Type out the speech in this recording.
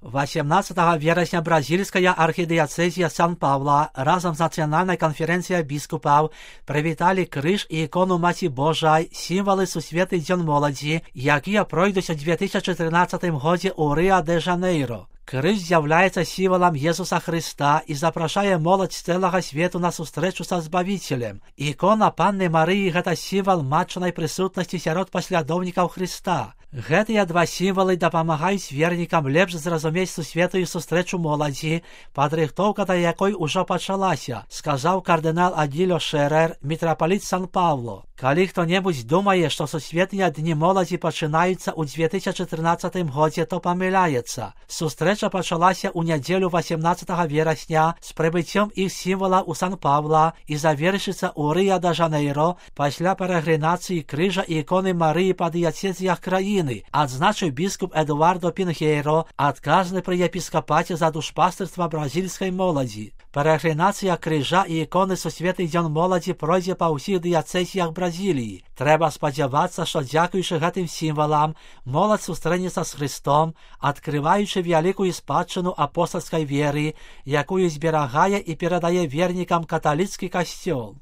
18 вересня бразильская архидиацезия Сан-Павла разом з Національною конференцією біскупів привітали криж і ікону Маті Божої, символи Сусвітній День молоді, які пройдуть у 2014 році у Ріо-де-Жанейро. Криж з'являється символом Єсуса Христа і запрошує молодь з цілого світу на зустрічу з Збавителем. Ікона Панни Марії – це символ матчної присутності серед послідовників Христа. Гэтыя два сімвалы дапамагаюць вернікам лепш зразумець сусветную сустрэчу моладзі, падрыхтоўка да якой ужо пачалася, сказаў кардынал Адилио Шерер, мітрапаліт Сан-Паўло. Калі хто-небудзь думае, што сусветныя дні моладзі пачынаюцца ў 2014 годзе, то памыляецца. Сустрэча пачалася ў нядзелю 18 верасня з прыбыццём іх сімвала ў Сан-Паўла і завершыцца ў Ріо-де-Жанейро пасля перагрынацыі крыжа і іконы Марыі па дыяцэзіях краіны, адзначыў біскуп Эдуардо Пінхейро, адказны пры епіскапаце за душпастырства бразільскай моладзі. Перагрынацыя крыжа і іконы Сусветны дзень моладзі пройдзе па ўсіх дыяцэзіях Бразіліі. Трэба спадзявацца, што дзякуючы гэтым сімвалам моладзь сустрэнецца з Христом, адкрываючы вялікую спадчыну апостальскай веры, якую зберагае і перадае вернікам каталіцкі касцёл.